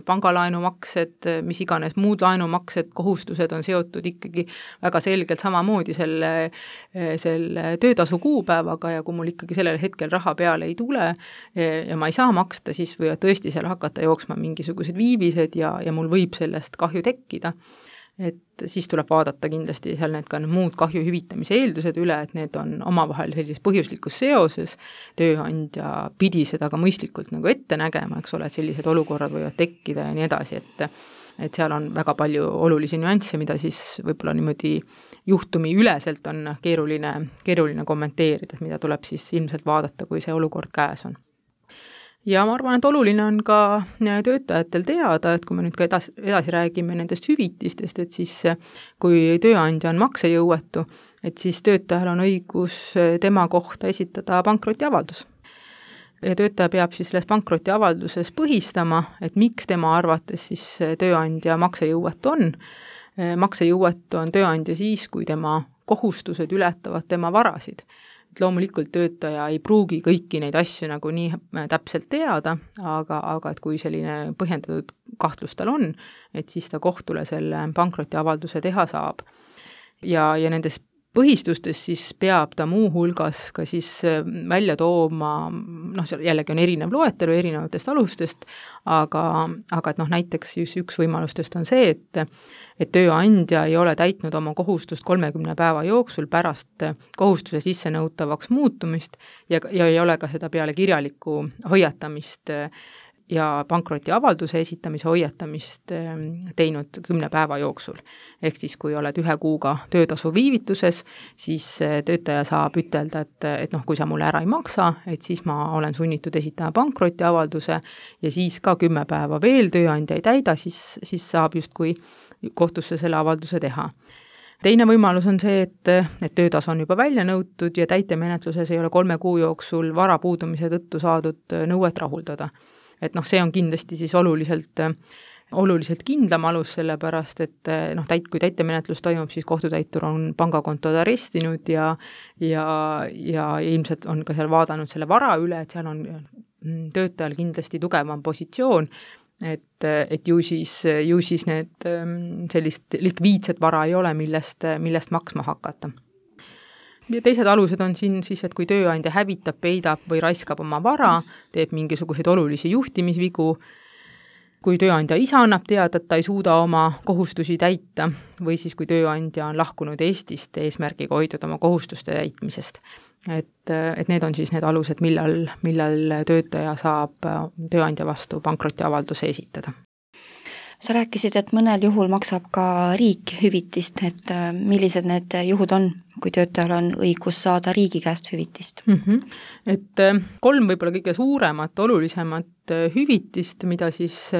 Speaker 4: pangalaenumaksed, mis iganes muud laenumaksed, kohustused on seotud ikkagi väga selgelt samamoodi selle, selle töötasu kuupäevaga ja kui mul ikkagi sellel hetkel raha peale ei tule ja ma ei saa maksta, siis võivad tõesti seal hakata jooksma mingisugused viivised ja, ja mul võib sellest kahju tekkida. Et siis tuleb vaadata kindlasti seal need ka muud kahju hüvitamise eeldused üle, et need on omavahel sellises põhjuslikus seoses, tööandja pidi seda ka mõistlikult nagu ette nägema, eks ole, et sellised olukorrad võivad tekkida ja nii edasi, et, et seal on väga palju olulisi nüansse, mida siis võib-olla niimoodi juhtumi üleselt on keeruline, keeruline kommenteerida, mida tuleb siis ilmselt vaadata, kui see olukord käes on. Ja ma arvan, et oluline on ka töötajatel teada, et kui me nüüd ka edasi, edasi räägime nendest hüvitistest, et siis kui tööandja on maksejõuetu, et siis töötajal on õigus tema kohta esitada pankrotiavaldus. Ja töötaja peab siis selles pankrotiavalduses põhistama, et miks tema arvates siis tööandja maksejõuetu on. Maksejõuetu on tööandja siis, kui tema kohustused ületavad tema varasid. Et loomulikult töötaja ei pruugi kõiki neid asju nagu nii täpselt teada, aga, aga et kui selline põhjendatud kahtlus tal on, et siis ta kohtule selle pankrotiavalduse teha saab. Ja, ja nendes põhistustes siis peab ta muu hulgas ka siis välja tooma, noh, jällegi on erinev loetelu erinevatest alustest, aga, aga et noh, näiteks üks võimalustest on see, et et tööandja ei ole täitnud oma kohustust kolmekümne päeva jooksul pärast kohustuse sissenõutavaks muutumist ja, ja ei ole ka seda peale kirjalikku hoiatamist ja pankrotiavalduse esitamise hoiatamist teinud kümne päeva jooksul. Ehk siis, kui oled ühe kuuga töötasu viivituses, siis töötaja saab ütelda, et, et noh, kui sa mulle ära ei maksa, et siis ma olen sunnitud esitama pankrotiavalduse ja siis ka kümme päeva veel tööandja ei täida, siis, siis saab justkui kohtusse selle avalduse teha. Teine võimalus on see, et, et töötasu on juba välja nõutud ja täitemenetluses ei ole kolme kuu jooksul vara puudumise tõttu saadud nõuet rahuldada. Et noh, see on kindlasti siis oluliselt, oluliselt kindlam alus, sellepärast et noh, täit, kui täitemenetlus toimub, siis kohtutäitur on pangakontod arestinud ja, ja, ja ilmselt on ka seal vaadanud selle vara üle, et seal on töötajal kindlasti tugevam positsioon, et, et ju siis, ju siis need sellist likviidset vara ei ole, millest, millest maksma hakata. ja teised alused on siin siis, et kui tööandja hävitab, peidab või raiskab oma vara, teeb mingisuguseid olulisi juhtimisvigu, kui tööandja ise annab teada, et ta ei suuda oma kohustusi täita või siis kui tööandja on lahkunud Eestist eesmärgiga hoiduda oma kohustuste täitmisest. Et, et need on siis need alused, millal, millal töötaja saab tööandja vastu pankrotiavalduse esitada.
Speaker 3: Sa rääkisid, et mõnel juhul maksab ka riik hüvitist, et millised need juhud on, kui töötajal on õigus saada riigi käest hüvitist?
Speaker 4: Mm -hmm. Et kolm võib-olla kõige suuremat, olulisemat hüvitist, mida siis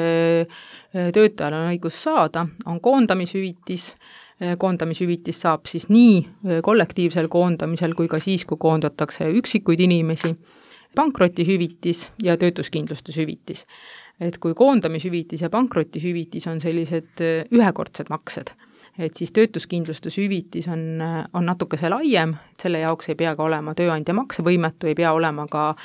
Speaker 4: töötajal on õigus saada, on koondamishüvitis. Koondamishüvitis saab siis nii kollektiivsel koondamisel kui ka siis, kui koondatakse üksikuid inimesi, pankrotihüvitis ja töötuskindlustushüvitis. Et kui koondamishüvitis ja pankrotihüvitis on sellised ühekordsed maksed, et siis töötuskindlustushüvitis on, on natukese laiem, et selle jaoks ei pea ka olema tööandja maksevõimetu, ei pea olema ka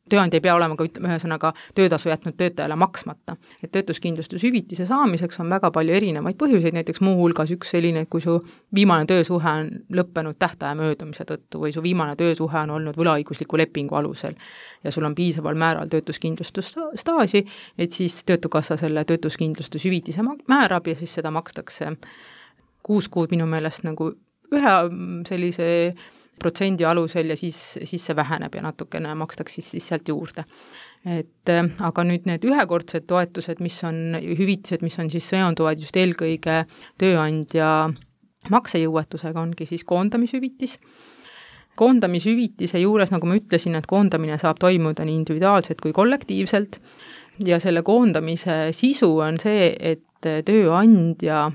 Speaker 4: tööandja ei pea olema ka ühesõnaga töötasu jätnud töötajale maksmata. Et töötuskindlustushüvitise saamiseks on väga palju erinevaid põhjuseid, näiteks muu hulgas üks selline, kui su viimane töösuhe on lõppenud tähtaja möödumise tõttu või su viimane töösuhe on olnud võlaõigusliku lepingu alusel ja sul on piisaval määral töötuskindlustusstaaži, et siis Töötukassa selle töötuskindlustushüvitise määrab ja siis seda makstakse kuus kuud minu meelest nagu ühe sellise protsendi alusel ja siis, siis see väheneb ja natukene makstakse siis, siis sealt juurde. Et aga nüüd need ühekordsed toetused, mis on hüvitised, mis on siis seonduvad just eelkõige tööandja maksejõuetusega, ongi siis koondamishüvitis. Koondamishüvitise juures, nagu ma ütlesin, et koondamine saab toimuda nii individuaalselt kui kollektiivselt ja selle koondamise sisu on see, et tööandja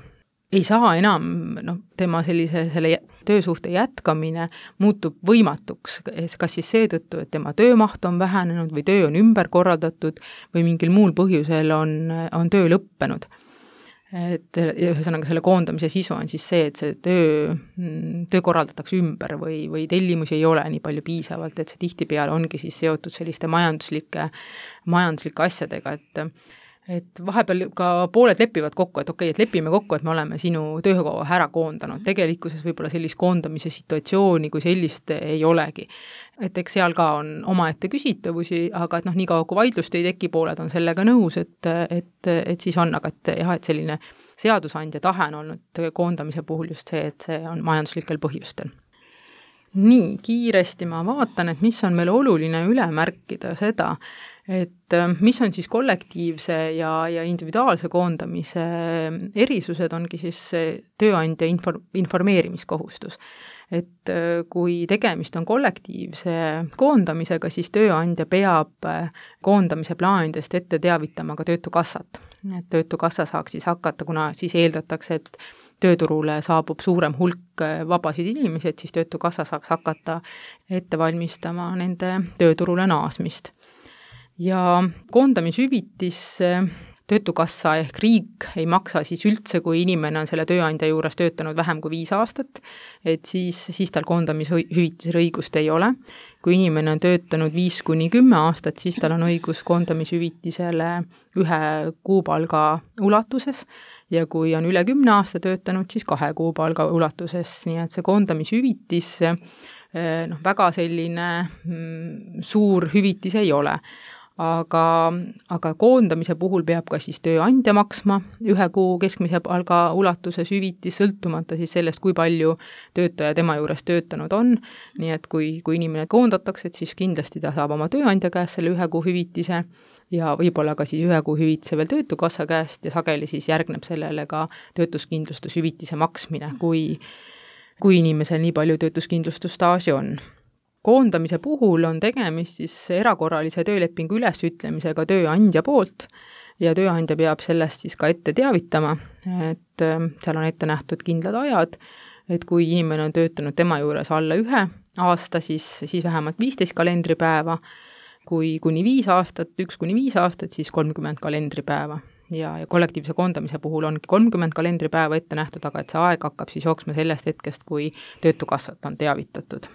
Speaker 4: ei saa enam, noh, tema sellise selle töösuhte jätkamine muutub võimatuks, kas siis seetõttu, et tema töömaht on vähenenud või töö on ümber korraldatud või mingil muul põhjusel on, on töö lõppenud. Et ühesõnaga selle koondamise sisu on siis see, et see töö, töö korraldatakse ümber või, või tellimusi ei ole nii palju piisavalt, et see tihtipeale ongi siis seotud selliste majanduslike, majanduslike asjadega, et et vahepeal ka pooled lepivad kokku, et okei, okay, et lepime kokku, et me oleme sinu töökoha ära koondanud. Tegelikkuses võib-olla sellist koondamise situatsiooni kui sellist ei olegi. Et eks seal ka on omaette küsitavusi, aga et noh, nii kaua kui vaidlust ei teki, pooled on sellega nõus, et, et, et siis on, aga et jah, et selline seadusandja tahe on olnud koondamise puhul just see, et see on majanduslikel põhjustel. Nii, kiiresti ma vaatan, et mis on meil oluline üle märkida seda, et mis on siis kollektiivse ja, ja individuaalse koondamise erisused, ongi siis tööandja infor- informeerimiskohustus. Et kui tegemist on kollektiivse koondamisega, siis tööandja peab koondamise plaanidest ette teavitama ka Töötukassat. Et Töötukassa saaks siis hakata, kuna siis eeldatakse, et tööturule saabub suurem hulk vabasid inimesi, et siis Töötukassa saaks hakata ette valmistama nende tööturule naasmist. Ja koondamishüvitis Töötukassa ehk riik ei maksa siis üldse, kui inimene on selle tööandja juures töötanud vähem kui viis aastat, et siis, siis tal koondamishüvitise õigust ei ole. Kui inimene on töötanud viis kuni kümme aastat, siis tal on õigus koondamishüvitisele ühe kuupalga ulatuses ja kui on üle kümne aasta töötanud, siis kahe kuupalga ulatuses, nii et see koondamishüvitis noh, väga selline mm, suur hüvitis ei ole. Aga, aga koondamise puhul peab ka siis tööandja maksma ühe kuu keskmise palga ulatuses hüvitis, sõltumata siis sellest, kui palju töötaja tema juures töötanud on. Nii et kui, kui inimene koondatakse, et siis kindlasti ta saab oma tööandja käest selle ühe kuu hüvitise ja võib-olla ka siis ühe kuu hüvitise veel Töötukassa käest ja sageli siis järgneb sellele ka töötuskindlustushüvitise maksmine, kui, kui inimesel nii palju töötuskindlustusstaaži on. Koondamise puhul on tegemist siis erakorralise töölepingu ülesütlemisega tööandja poolt ja tööandja peab sellest siis ka ette teavitama, et seal on ette nähtud kindlad ajad, et kui inimene on töötanud tema juures alla ühe aasta, siis, siis vähemalt viisteist kalendripäeva, kui kuni viis aastat, üks kuni viis aastat, siis kolmkümmend kalendripäeva. Ja, ja kollektiivse koondamise puhul ongi kolmkümmend kalendripäeva ette nähtud, aga et see aeg hakkab siis jooksma sellest hetkest, kui Töötukassat on teavitatud.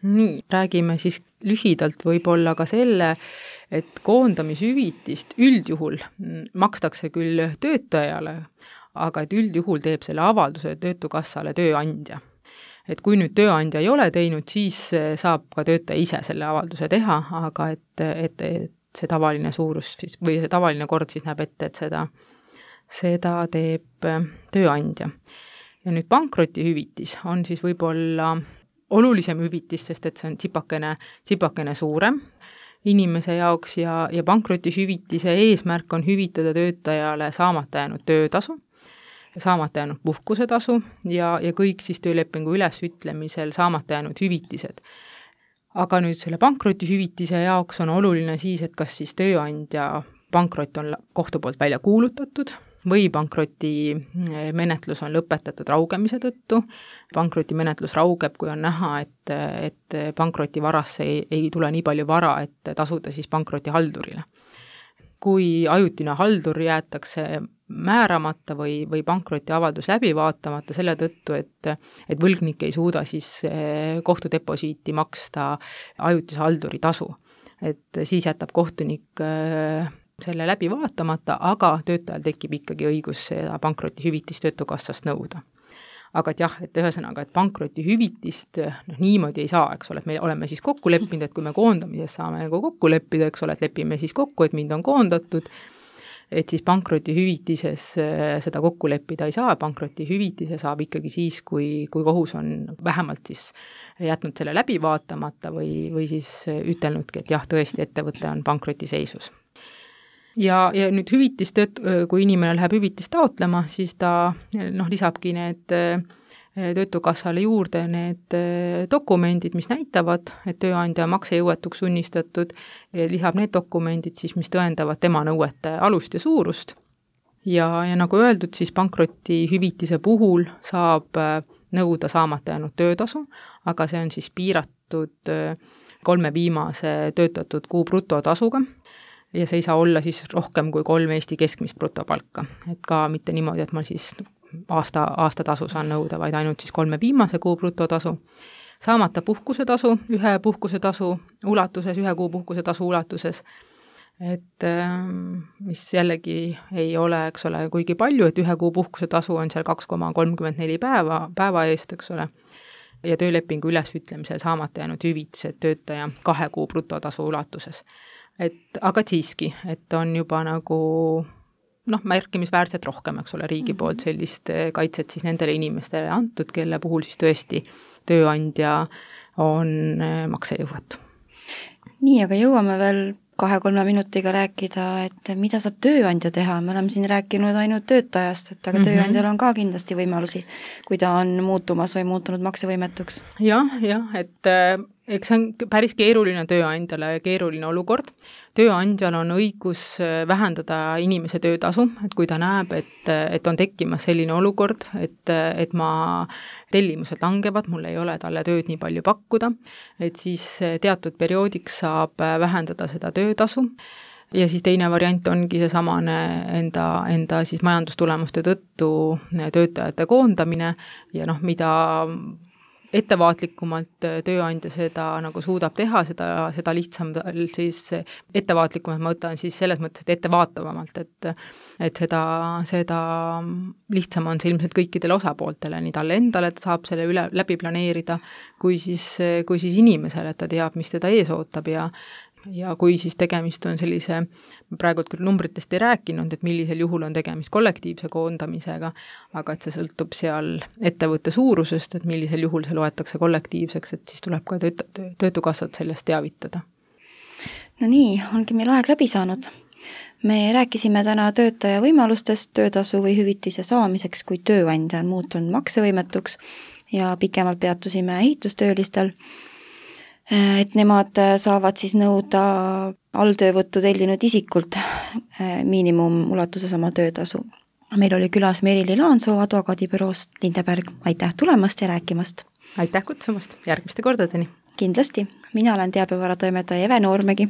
Speaker 4: Nii, räägime siis lühidalt võib-olla ka selle, et koondamishüvitist üldjuhul makstakse küll töötajale, aga et üldjuhul teeb selle avalduse Töötukassale tööandja. et kui nüüd tööandja ei ole teinud, siis saab ka töötaja ise selle avalduse teha, aga et, et, et see tavaline suurus siis, või see tavaline kord siis näeb ette, et seda, seda teeb tööandja. Ja nüüd pankrotihüvitis on siis võib-olla olulisem hüvitis, sest et see on tsipakene, tsipakene suurem inimese jaoks ja, ja pankrotihüvitise eesmärk on hüvitada töötajale saamata jäänud töötasu, saamata jäänud puhkusetasu ja, ja kõik siis töölepingu ülesütlemisel saamata jäänud hüvitised. Aga nüüd selle pankrotihüvitise jaoks on oluline siis, et kas siis tööandja pankrot on kohtu poolt välja kuulutatud või pankroti menetlus on lõpetatud raugemise tõttu. Pankroti menetlus raugeb, kui on näha, et, et pankroti varasse ei, ei tule nii palju vara, et tasuda siis pankroti haldurile. Kui ajutine haldur jäetakse määramata või, või pankroti avaldus läbi vaatamata selle tõttu, et, et võlgnik ei suuda siis kohtudeposiiti maksta ajutise halduri tasu. Et siis jätab kohtunik selle läbi vaatamata, aga töötajal tekib ikkagi õigus seda pankrotihüvitist töötukassast nõuda. Aga et jah, et ühesõnaga, et pankrotihüvitist noh, niimoodi ei saa, eks ole, et me oleme siis kokku leppinud, et kui me koondamises saame nagu kokku leppida, eks ole, et lepime siis kokku, et mind on koondatud, et siis pankrotihüvitises seda kokku leppida ei saa, pankrotihüvitise saab ikkagi siis, kui, kui kohus on vähemalt siis jätnud selle läbi vaatamata või, või siis ütelnudki, et jah, tõesti ettevõte on pankrotiseisus. Ja, ja nüüd hüvitist, kui inimene läheb hüvitist taotlema, siis ta noh, lisabki need töötukassale juurde need dokumendid, mis näitavad, et tööandja maksejõuetuks sunnistatud, lisab need dokumendid siis, mis tõendavad tema nõuete alust ja suurust. Ja, ja nagu öeldud, siis pankrotihüvitise puhul saab nõuda saamata jäänud töötasu, aga see on siis piiratud kolme viimase töötatud kuu brutotasuga. Ja see ei saa olla siis rohkem kui kolm Eesti keskmist brutopalka. Et ka mitte niimoodi, et ma siis aasta, aasta tasu saan nõuda, vaid ainult siis kolme viimase kuu brutotasu. Saamata puhkusetasu, ühe puhkusetasu ulatuses, ühe kuu puhkusetasu ulatuses, et mis jällegi ei ole, eks ole, kuigi palju, et ühe kuu puhkusetasu on seal kaks koma kolmkümmend neli päeva, päeva eest, eks ole, ja töölepingu ülesütlemisel saamata jäänud hüvitised töötaja kahe kuu brutotasu ulatuses. Et, aga siiski, et on juba nagu noh, märkimisväärselt rohkem, eks ole, riigi poolt sellist kaitset siis nendele inimestele antud, kelle puhul siis tõesti tööandja on maksejõuetu.
Speaker 3: Nii, aga jõuame veel kahe-kolme minutiga rääkida, et mida saab tööandja teha, me oleme siin rääkinud ainult töötajast, et aga mm-hmm. tööandjal on ka kindlasti võimalusi, kui ta on muutumas või muutunud maksevõimetuks.
Speaker 4: Jah, jah, et eks see on päris keeruline tööandjale ja keeruline olukord. Tööandjal on õigus vähendada inimese töötasu, et kui ta näeb, et, et on tekkimas selline olukord, et, et ma tellimused langevad, mul ei ole talle tööd nii palju pakkuda, et siis teatud perioodiks saab vähendada seda töötasu. Ja siis teine variant ongi see samane enda, enda siis majandustulemuste tõttu töötajate koondamine ja noh, mida ettevaatlikumalt tööandja seda nagu suudab teha, seda, seda lihtsam siis ettevaatlikumalt ma võtan siis selles mõttes, et ettevaatavamalt, et, et seda, seda lihtsam on see ilmselt kõikidele osapooltele, nii talle endale, et saab selle üle, läbi planeerida, kui siis, kui siis inimesele, et ta teab, mis teda ees ootab ja ja kui siis tegemist on sellise, praegult küll numbritest ei rääkinud, et millisel juhul on tegemist kollektiivse koondamisega, aga et see sõltub seal ettevõtte suurusest, et millisel juhul see loetakse kollektiivseks, et siis tuleb ka tööt- töötukassat sellest teavitada.
Speaker 3: No nii, ongi meil aeg läbi saanud. Me rääkisime täna töötaja võimalustest töötasu või hüvitise saamiseks, kui tööandja on muutunud maksevõimetuks ja pikemalt peatusime ehitustöölistel, et nemad saavad siis nõuda alltöövõttu tellinud isikult miinimum ulatuses oma töötasu. Meil oli külas Merili Laansoo advokaadibüroost Lindeberg. Aitäh tulemast ja rääkimast!
Speaker 4: Aitäh kutsumast! Järgmiste kordadeni!
Speaker 3: Kindlasti! Mina olen teabevara toimetaja Eve Noormägi.